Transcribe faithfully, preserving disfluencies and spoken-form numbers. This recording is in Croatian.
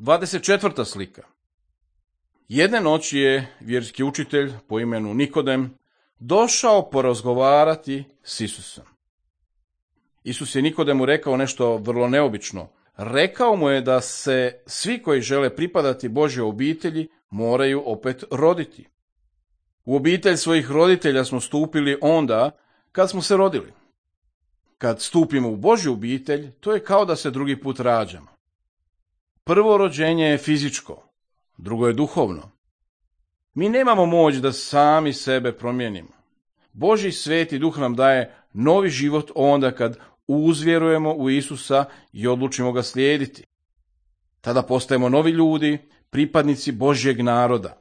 dvadeset četvrta slika. Jedne noći je vjerski učitelj po imenu Nikodem došao porazgovarati s Isusom. Isus je Nikodemu rekao nešto vrlo neobično. Rekao mu je da se svi koji žele pripadati Božjoj obitelji moraju opet roditi. U obitelj svojih roditelja smo stupili onda kad smo se rodili. Kad stupimo u Božju obitelj, to je kao da se drugi put rađamo. Prvo rođenje je fizičko, drugo je duhovno. Mi nemamo moć da sami sebe promijenimo. Božji sveti duh nam daje novi život onda kad uzvjerujemo u Isusa i odlučimo ga slijediti. Tada postajemo novi ljudi, pripadnici Božjeg naroda.